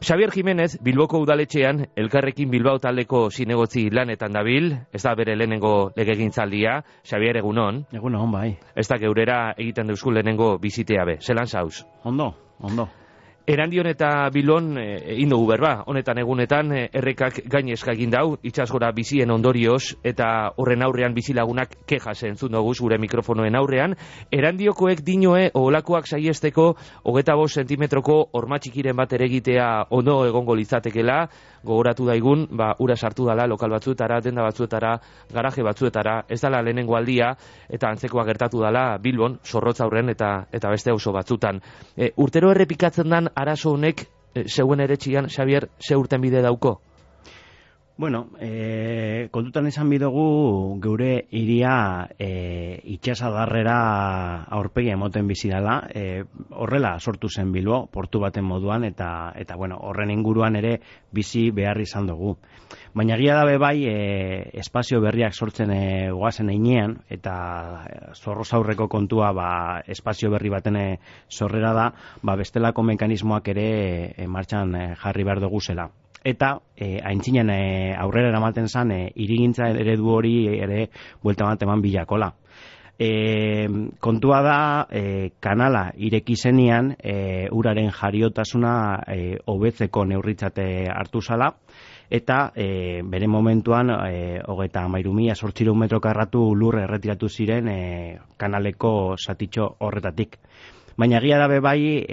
Xabier Jimenez, Bilboko udaletxean, Elkarrekin Bilbao taldeko zinegotzi lanetan dabil, ez da bere lehenengo legegintzaldia. Xabier, egunon. Egunon, bai. Ez da geurera egiten deuzku lehenengo bizitea be. Zelan zauz? Ondo. Erandion eta Bilon egin dugu berba, honetan egunetan errekak gainezka egin dau, itsasgora bizien ondorioz, eta horren aurrean bizilagunak kejas entzun dugu gure mikrofonoen aurrean. Erandiokoek dinoe oholakoak saiesteko 25 zentimetroko hormatxikiren bat ere egitea ondo egongo litzatekela, gogoratu daigun, ura sartu dala lokal batzuetara, denda batzuetara, garaje batzuetara, ez dala lehenengo aldia, eta antzekoa gertatu dala Bilbon, Zorrotz aurren eta beste auzo batzutan. Urtero errepikatzen dan arazo honek, zeuen eretxian, Xabier, ze urten bide dauko? Bueno, kontutan izan bidugu geure iria itxasadarrera aurpegia emoten bizi dela, horrela sortu zen Bilbo, portu baten moduan, eta bueno, horren inguruan ere bizi behar izan dugu. Baina egia dabe bai, espazio berriak sortzen goazen einean, eta Zorrozaurreko kontua espazio berri baten sorrera da, bestelako mekanismoak ere martxan jarri behar dugu zela. Eta aintzinen aurrera eramaten zan hirigintza eredu hori ere buelta bat eman bilakola. Kontua da kanala ireki zenean uraren jariotasuna hobetzeko neurritzate hartu zala, eta bere momentuan 33.800 metro karratu lur erretiratu ziren kanaleko zatitxo horretatik. Baina egia dabe bai,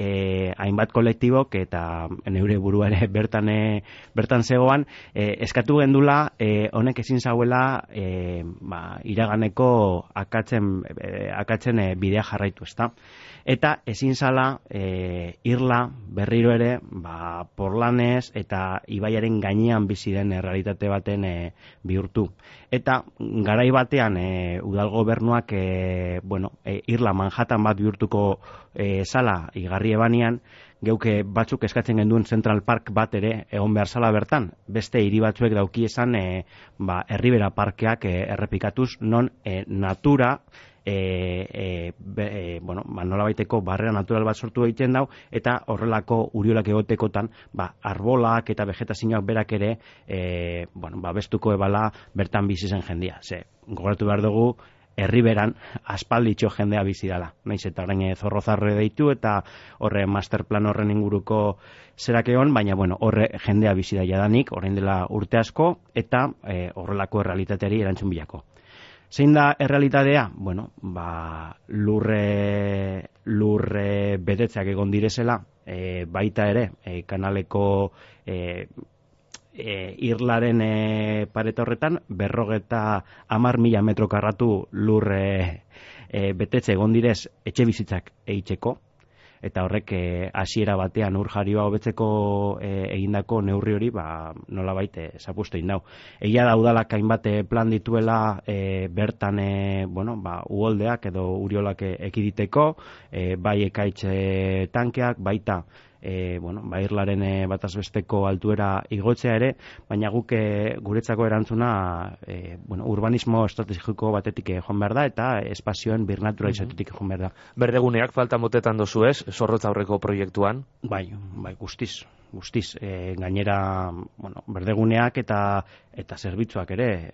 hainbat kolektibok eta neure burua ere bertan zegoan, eskatu gendula honek ezin zauela iraganeko akatzen bidea jarraitu, ezta? Eta ezin zala irla berriro ere porlanez eta ibaiaren gainean bizi den errealitate baten bihurtu. Eta garai batean udal gobernuak irla Manhattan bat bihurtuko sala igarri ebanean, geuke batzuk eskatzen genduen Central Park bat ere egon behar zala bertan. Beste hiri batzuek dauki esan Herribera parkeak errepikatuz, non natura nola baiteko barrera natural bat sortu egiten dau, eta horrelako uriolak egotekotan arbolak eta vegetazioak berak ere bestuko ebala bertan bizi zen jendia. Gogoratu behar dugu Herriberan aspalditxo jendea bizi dala. Naiz eta orain Zorrozarre deitu eta horre masterplan horren inguruko zerak egon, baina horre jendea bizi da jadanik, orain dela urte asko, eta horrelako errealitateari erantzun bilako. Zein da errealitatea? Lurre betetzeak egon direzela, baita ere, kanaleko irlaren pareta horretan, 50.000 metro karratu lurre betetze egon direz etxe bizitzak eitzeko, eta horrek hasiera batean ur jarioa hobetzeko egindako neurri hori nolabait zapustu egin dau. Egia da udalak hainbat plan dituela bertan uholdeak edo uriolak ekiditeko, bai ekaitz tankeak, baita irlaren batazbesteko altuera igotzea ere, baina guk guretzako erantzuna urbanismo estrategiko batetik joan behar da, eta espazioen birnaturalizatetik joan behar da. Berdeguneak falta motetan dozu ez, Zorrotz aurreko proiektuan? Bai, guztiz. Gainera, berdeguneak eta zerbitzuak ere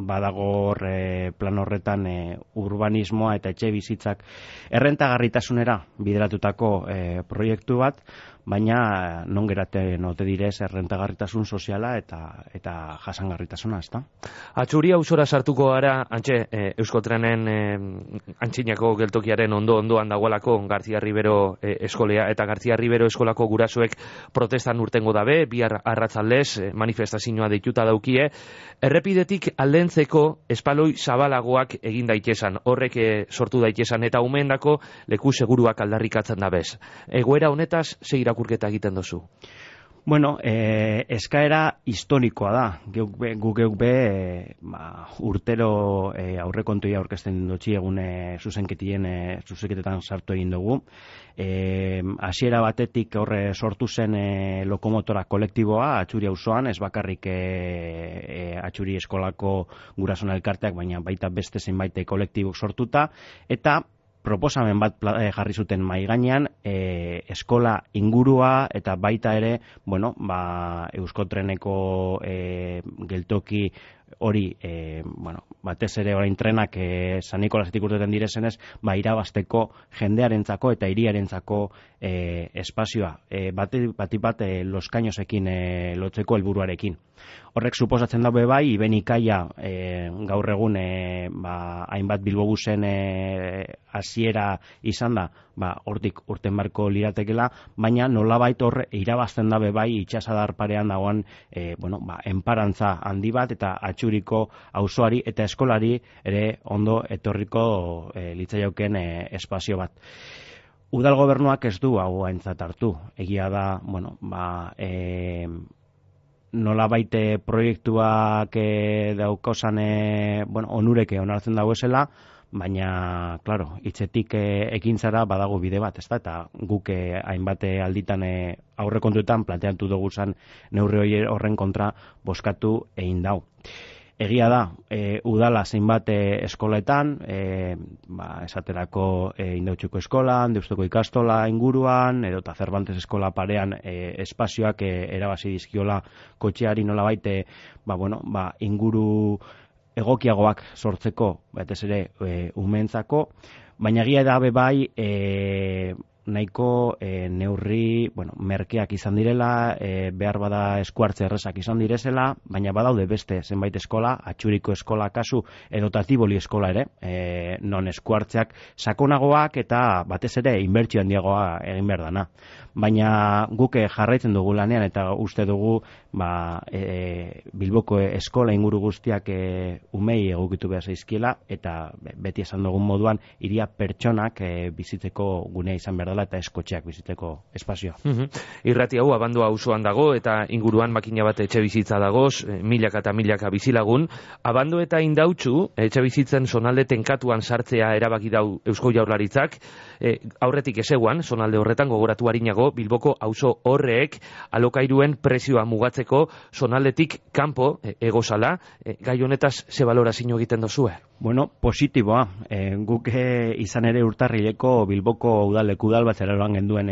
badago plan horretan urbanismoa eta etxe bizitzak errentagarritasunera bideratutako proiektu bat, baina non geratzen ote direz errentagarritasun soziala eta jasangarritasuna, ezta? Atxuri auzora sartuko gara, antxe, Euskotrenen antxinako geltokiaren ondoan dagoelako García Ribero eskolea, eta García Ribero eskolako gurasoek protestan urtengo dabe, bihar arratzaldez manifestazioa deituta daukie, errepidetik aldentzeko espaloi zabalagoak egin daitesan, horrek sortu daitesan, eta umeendako leku seguruak aldarrikatzen dabez. Egoera honetaz, ze irakurketa egiten dozu? Eskaera historikoa da. Guk be urtero aurrekontuia aurkezten dutxi egun zuzenketetan sartu egin dugu. Hasiera batetik horre sortu zen lokomotora kolektiboa Atxuri auzoan, ez bakarrik Atxuri eskolako gurasoen elkarteak, baina baita beste zenbait kolektibok sortuta, eta proposamen bat jarri zuten mahai gainean, eskola ingurua eta baita ere, Euskotreneko geltoki hori, batez ere orain trenak San Nikolasetik urteten direzenez, irabazteko jendearentzako eta hiriarentzako espazioa, bat loskainosekin lotzeko helburuarekin. Horrek suposatzen dabe bai, Ibenikaia gaur egun hainbat Bilbobusen hasiera izan da, hortik urten barko liratekela, baina nolabait hor irabazten dabe bai itxasadar parean dagoen enparantza handi bat eta atxuriko auzoari eta eskolari ere ondo etorriko litzaioken espazio bat. Udal gobernuak ez du hau aintzat hartu. Egia da, nolabait proiektuak daukozan onureke onartzen dagoezela, baina, klaro, hitzetik ekintzara badago bide bat, ezta? Eta guk hainbat alditan aurrekontuetan planteatu dugu zan neurri horren kontra bozkatu egin dau. Egia da, udala zeinbat eskoletan, esaterako Indautxuko eskolan, Deustoko ikastola inguruan, edota Cervantes eskola parean espazioak erabazi dizkiola kotxeari nolabait, inguru egokiagoak sortzeko, batez ere umeentzako, baina egia da bai nahiko neurri merkeak izan direla, behar bada eskuartze errezak izan direzela, baina badaude beste zenbait eskola, Atxuriko eskola kasu edota Tiboli eskola ere, non eskuartzeak sakonagoak eta batez ere inbertsio handiagoa egin behar dana. Baina guk jarraitzen dugu lanean eta uste dugu Bilboko eskola inguru guztiak umei egokitu behar zaizkiela eta beti esan dugun moduan hiria pertsonak bizitzeko gunea izan behar dela eta eskotxeak bizitzeko espazioa. Irrati hau Abandua auzoan dago eta inguruan makina bat etxe bizitza dagoz, milaka eta milaka bizilagun. Abando eta Indautxu etxe bizitzen zonalde tenkatuan sartzea erabaki dau Eusko Jaurlaritzak, aurretik ezeguan, zonalde horretan gogoratu harinago, Bilboko auzo horrek alokairuen prezioa mugatzeko zonaldetik kanpo egozala, gai honetaz ze balorazio egiten dozue? Positiboa. Guk izan ere urtarrileko Bilboko udal bat zeraroan genduen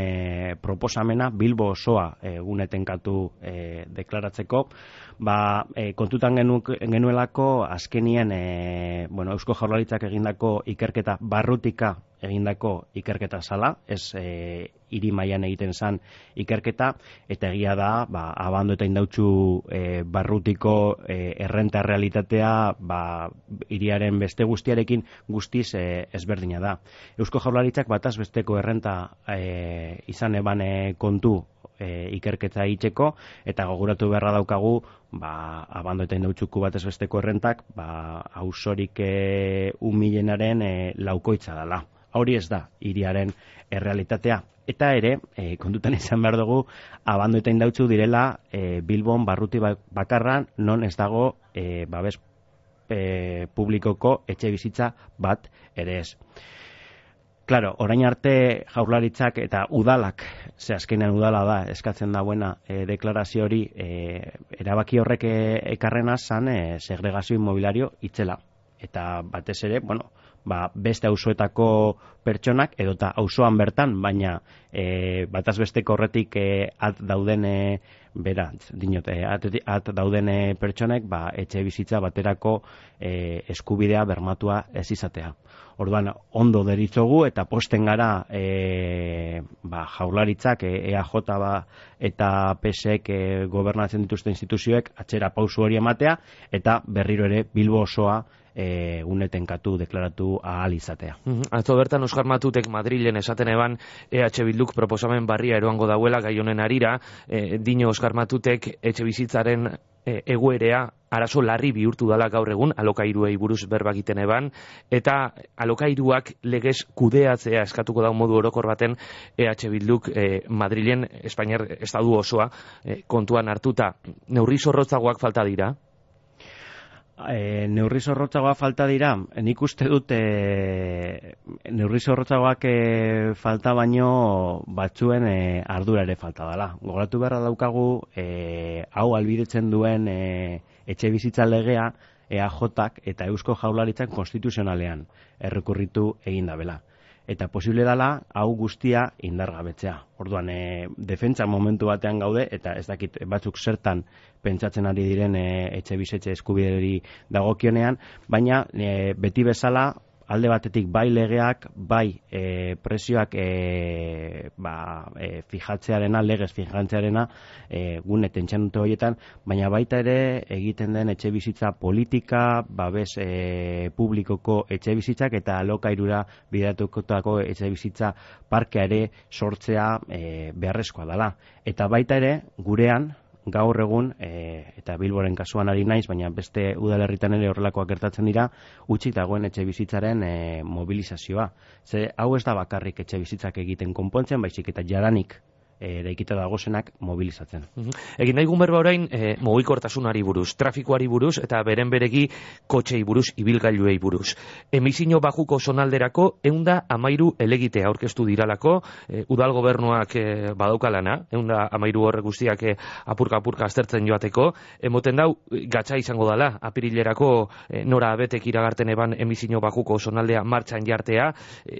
proposamena, Bilbo osoa gunetenkatu deklaratzeko, kontutan genuelako azkenien Eusko Jaurlaritzak egindako ikerketa barrutika egindako ikerketa zala, ez hiri mailan egiten zan ikerketa, eta egia da, Abando eta Indautxu barrutiko errenta realitatea hiriaren beste guztiarekin guztiz ezberdina da. Eusko Jaurlaritzak bataz besteko errenta izan eban kontu ikerketa egiteko, eta gogoratu beharra daukagu Abando eta Indautxuko batez besteko errentak auzorik umilenaren laukoitza dela. Hori ez da hiriaren errealitatea. Eta ere, kontutan izan behar dugu, Abando eta Indautxu direla Bilbon barruti bakarran non ez dago babes publikoko etxe bizitza bat ere ez. Claro, orain arte Jaurlaritzak eta udalak, azkenean udala da, eskatzen dauena deklarazio hori, erabaki horrek ekarrena zan segregazio inmobiliario itzela. Eta batez ere, beste auzoetako pertsonak edota auzoan bertan, baina bataz besteko horretik at dauden at dauden pertsonek etxe bizitza baterako eskubidea bermatua ez izatea. Orduan, ondo deritzogu eta posten gara Jaurlaritzak, EAJ eta PSek gobernatzen dituzten instituzioek atzera pausu hori ematea eta berriro ere Bilbo osoa unetenkatu, deklaratu ahal izatea. Atzo bertan Oskar Matutek Madrilen esaten eban EH Bilduk proposamen barria eroango dauela gai honen harira, dino Oskar Matutek etxe bizitzaren egoerea arazo larri bihurtu dala gaur egun, alokairuei buruz berba egiten eban, eta alokairuak legez kudeatzea eskatuko da modu orokor baten EH Bilduk Madrilen, Espainiar estadu osoa kontuan hartuta. Neurri zorrotzagoak falta dira? Neurri zorrotzagoa falta dira, nik uste dut neurri zorrotzagoak falta baino batzuen ardura ere falta dela. Gogoratu beharra daukagu hau albidetzen duen etxe bizitza legea EAJak eta Eusko Jaurlaritzak konstituzionalean errekurritu egin dabela. eta posible dela hau guztia indargabetzea. Orduan, defentsa momentu batean gaude, eta ez dakit batzuk zertan pentsatzen ari diren etxe bizitza eskubideri dagokionean, baina beti bezala alde batetik bai legeak, bai prezioak fijatzearena, legez fijatzearena gune tentsanute horietan, baina baita ere egiten den etxe bizitza politika, babes publikoko etxe bizitzak eta alokairura bideratutako etxe bizitza parkea ere sortzea beharrezkoa dela. Eta baita ere gurean, gaur egun, eta Bilboren kasuan ari naiz, baina beste udalerritan ere horrelakoak gertatzen dira, utzik dagoen etxe bizitzaren mobilizazioa. Ze hau ez da bakarrik etxe bizitzak egiten konpontzen, baizik eta jadanik eraikita dagozenak mobilizatzen. Egin daigun berba orain mugikortasunari buruz, trafikoari buruz eta beren beregi kotxei buruz, ibilgailuei buruz. Emisio bajuko zonalderako 113 helegite aurkeztu diralako, udal gobernuak badaukalana, 113 horre guztiak apurka aztertzen joateko, emoten dau gatza izango dela, apirilerako nora abetek iragarten eban emisio bajuko zonaldea martxan jartea,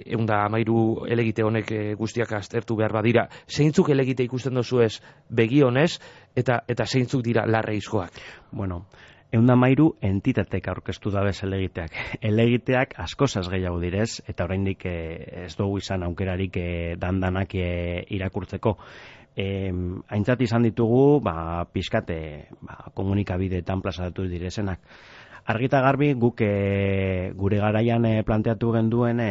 113 helegite honek guztiak aztertu behar badira. Zeintzuk helegite ikusten dozu ez begionez eta zeintzuk dira larreizkoak? Bueno, 113 entitatek aurkeztu dabez helegiteak. Helegiteak askozaz gehiago direz, eta oraindik ez dugu izan aukerarik dandanak irakurtzeko. Aintzat izan ditugu, pixkate komunikabideetan plazaratu direzenak. Argita garbi guk gure garaian planteatu genduen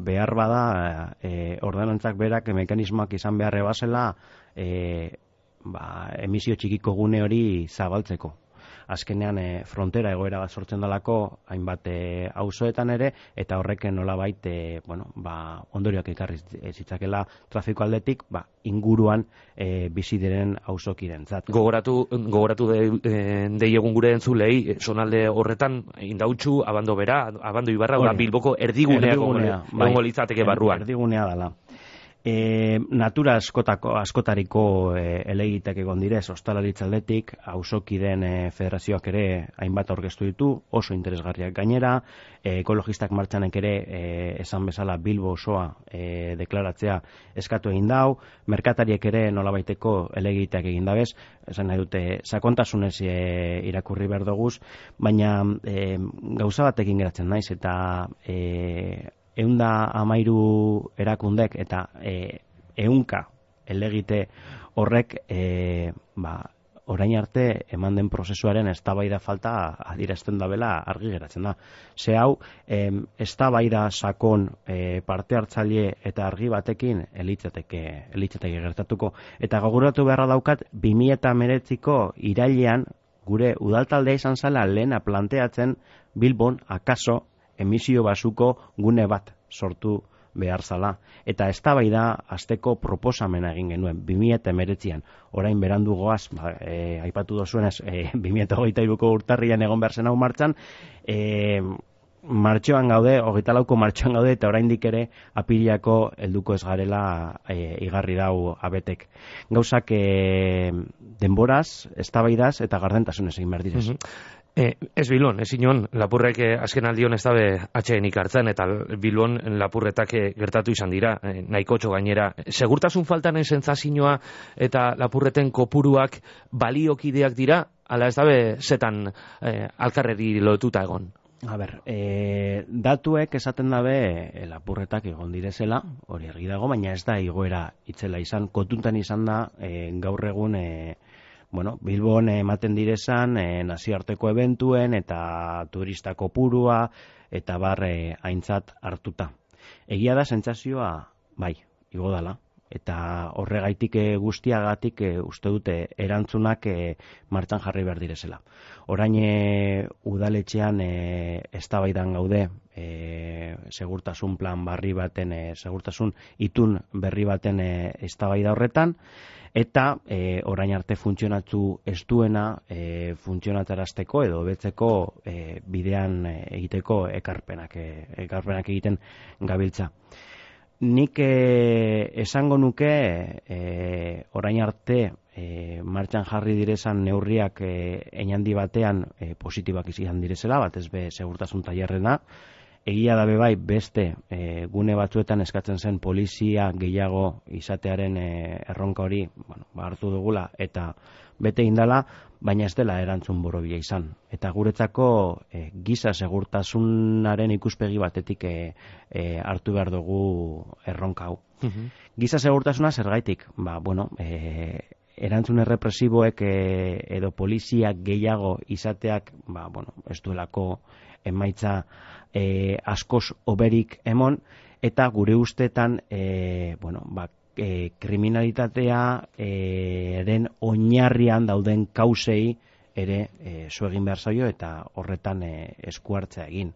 behar bada ordenantzak berak mekanismoak izan beharre bazela emisio txikiko gune hori zabaltzeko. Azkenean frontera egoera bat sortzen dalako hainbat auzoetan ere, eta horrek nolabait ondorioak ekarri zitzakela trafiko aldetik inguruan bizi diren auzokirentzat. Gogoratu deiegun gure entzulei, zonalde horretan indautxu, abando bera, abando ibarra, Bilboko erdigunea gongo litzateke barruan. Erdigunea dela. Natura askotariko helegitek egon direz, ostalaritza aldetik, auzokideen federazioak ere hainbat aurkeztu ditu, oso interesgarriak gainera, ekologistak martxanek ere esan bezala Bilbo osoa deklaratzea eskatu egin dau, merkatariek ere nolabaiteko helegiteak egin dabez, esan nahi dute sakontasunez irakurri behar doguz, baina gauza batekin geratzen naiz, eta 113 erakundek eta 100 helegite horrek orain arte eman den prozesuaren eztabaida falta adierazten dabela argi geratzen da. Ze hau eztabaida sakon parte hartzaile eta argi batekin elitzateke gertatuko. Eta gogoratu beharra daukat 2019ko irailean gure udaltaldea izan zela lehena planteatzen Bilbon akaso emisio basuko gune bat sortu behar zala. Eta eztabaida hasteko proposamena egin genuen 2019an. Orain berandu goaz, aipatu dozuenez 2023ko urtarrian egon behar zen hau martxan, martxoan gaude, 24ko martxoan gaude, eta oraindik ere apiriako helduko ez garela igarri dau abetek. Gauzak denboraz, eztabaidaz eta gardentasunez egin behar direz. Ez Bilbon, ez inon, lapurrek azken aldion ez dabe atxeenik hartzen, eta Bilbon lapurretak gertatu izan dira, nahikotxo gainera. Segurtasun faltanen sentsazioa eta lapurreten kopuruak baliokideak dira, ala ez dabe zetan alkarreri lotuta egon? A ber, datuek esaten dabe lapurretak egon direzela, hori argi dago, baina ez da igoera itzela izan, kotuntan izan da gaur egun Bilbon ematen direzan nazioarteko eventuen eta turista kopurua eta bar aintzat hartuta. Egia da sentsazioa bai, igo dala. Eta horregaitik guztiagatik uste dute erantzunak martxan jarri behar direzela. Orain udaletxean eztabaidan gaude segurtasun plan barri baten, segurtasun itun berri baten eztabaida horretan, eta orain arte funtzionatu ez duena funtzionatarazteko edo betzeko bidean egiteko ekarpenak egiten gabiltza. Nik esango nuke orain arte martxan jarri direzan neurriak einandi batean positibak izan direzela, batez be segurtasun tailerrena, egia da bai beste gune batzuetan eskatzen zen polizia gehiago izatearen erronka hori, hartu dugula eta bete indala, baina ez dela erantzun borobila izan. Eta guretzako giza segurtasunaren ikuspegi batetik hartu behar dugu erronka hau. Giza segurtasuna zergaitik? Erantzun errepresiboek edo polizia gehiago izateak ez duelako emaitza askoz oberik emon, eta gure ustetan kriminalitatea eren oinarrian dauden kausei ere zu egin behar zaio eta horretan esku hartzea egin.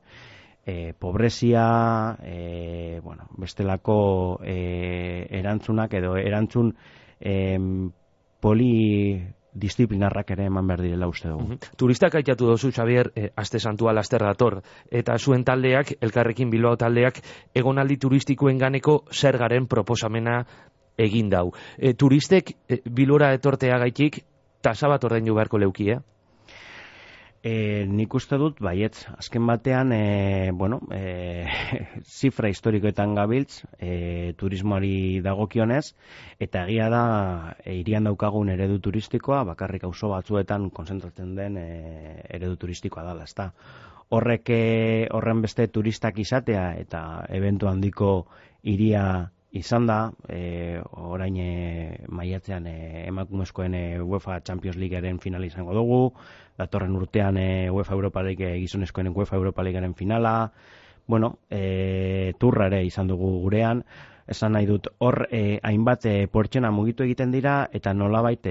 Pobrezia, bestelako erantzunak edo erantzun polidisciplinarrak ere eman behar direla uste dugu. Turistak aitatu dozu, Xabier, aste santua laster dator, eta zuen taldeak, Elkarrekin Bilbao taldeak, egonaldi turistikoen ganeko zergaren proposamena egin dau. Turistek Bilbora etortea gaitik, tasa bat ordaindu beharko leuki, Nik uste dut, baietz, azken batean, zifra historikoetan gabiltz, turismoari dagokionez, eta egia da, hirian daukagun eredu turistikoa, bakarrik auzo batzuetan konzentratzen den eredu turistikoa dela, ezta. Horren beste turistak izatea, eta ebentu handiko hiria izan da, orain maiatzean emakumezkoen UEFA Champions Leaguearen final izango dugu, datorren urtean UEFA Europa League gizonezkoen UEFA Europa Leaguearen finala, turra ere izan dugu gurean, esan nahi dut, hor hainbat pertsona mugitu egiten dira, eta nolabait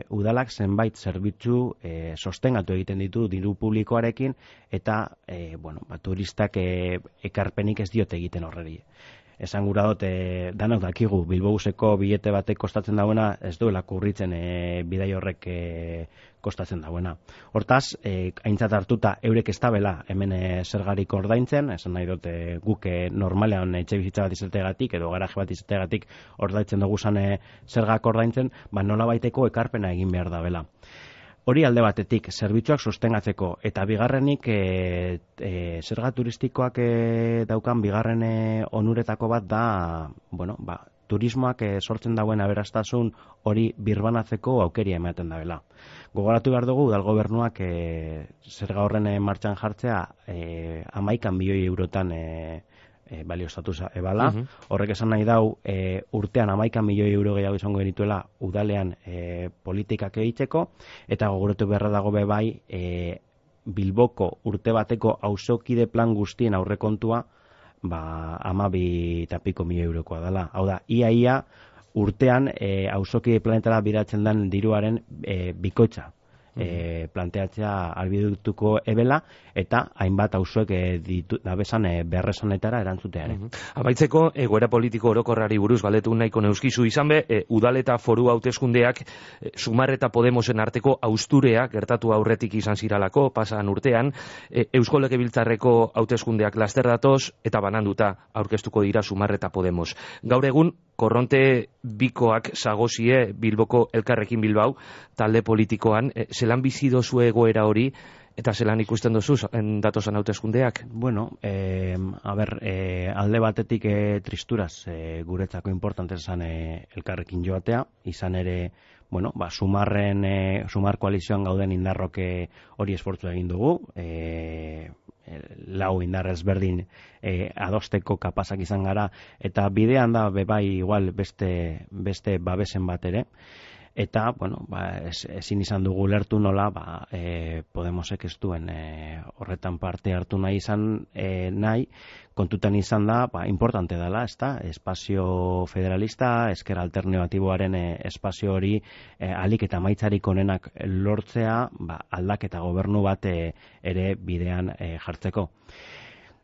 udalak zenbait zerbitzu sostengatu egiten ditu diru publikoarekin, eta turistak ekarpenik ez diote egiten horreri. Esan gura dut, danok dakigu, Bilbobuseko bilete batek kostatzen dauena, ez duela kurritzen bidai horrek kostatzen dauena. Hortaz, aintzat hartuta eurek ez dabela hemen zergarik ordaintzen, esan nahi dut guk normalean etxe bizitza bat izategatik edo garaje bat izategatik ordaintzen dugu zergak ordaintzen, nola baiteko ekarpena egin behar dabela. Hori alde batetik, zerbitzuak sostengatzeko, eta bigarrenik zerga turistikoak daukan bigarren onuretako bat da, turismoak sortzen dauen aberastasun hori birbanatzeko aukeria ematen dabela. Gogoratu behar dugu, udal gobernuak zerga horren martxan jartzea 11 milioi eurotan balioztatu ebala. Horrek esan nahi dau, urtean 11 milioi euro gehiago izango genituela udalean politikak egiteko, eta gogoratu beharra dago bai Bilboko urte bateko auzokide plan guztien aurrekontua 12,5 milioi eurokoa dela. Hau da, ia urtean auzokide planetara biratzen den diruaren bikoitza planteatzea albidutuko ebela, eta hainbat auzoek dabesan berresanetara erantzuteare. Amaitzeko, egoera politiko orokorrari buruz galdetu nahiko neuskizu izan be, udal eta foru hauteskundeak Sumar eta Podemosen arteko austurea gertatu aurretik izan ziralako, pasan urtean, Eusko Legebiltzarreko hauteskundeak laster datoz, eta bananduta aurkeztuko dira Sumar eta Podemos. Gaur egun, korronte bikoak zagozie Bilboko Elkarrekin Bilbao, talde politikoan, zelan bizi dozu egoera hori, eta zelan ikusten dozu datosan hauteskundeak? Alde batetik tristuraz guretzako importante esan Elkarrekin joatea, izan ere, Sumar koalizioan gauden indarrok hori esfortzu egin dugu, lau indar ezberdin adosteko kapazak izan gara, eta bidean da bai igual beste babesen bat ere, eta ezin izan dugu lertu nola Podemosek ez duen horretan parte hartu nahi izan kontutan izan da importante dela, espazio federalista, ezker alternatiboaren espazio hori alik eta maitzarik onenak lortzea, aldaketa gobernu bat ere bidean jartzeko.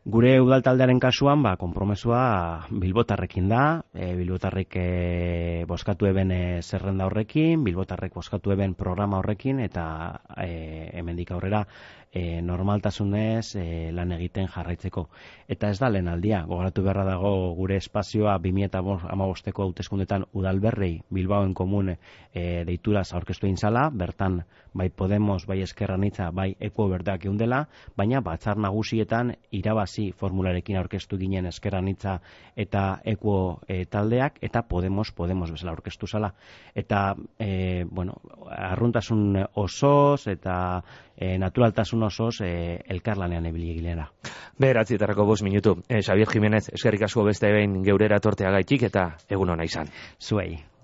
Gure udal taldearen kasuan, konpromesua Bilbotarrekin da, Bilbotarrek bozkatu eben zerrenda horrekin, Bilbotarrek bozkatu eben programa horrekin, eta hemendik aurrera normaltasunez lan egiten jarraitzeko. Eta ez da lehen aldia, gogoratu beharra dago gure espazioa 2015ko hauteskundetan udalberrei Bilbaoen komun deituraz aurkeztu egin zala, bertan bai Podemos, bai Ezker Anitza, bai Eko berdak eundela, baina batzar nagusietan irabazi hasi formularekin aurkeztu ginen Ezker Anitza eta Ekuo taldeak, eta Podemos bezala aurkeztu zala. Eta, arruntasun osoz eta naturaltasun osoz elkarlanean ibili ginela. 9:05 minutu. Xabier Jimenez, eskerrik asko beste behin geurera torteagaitik eta egun ona izan. Zuei.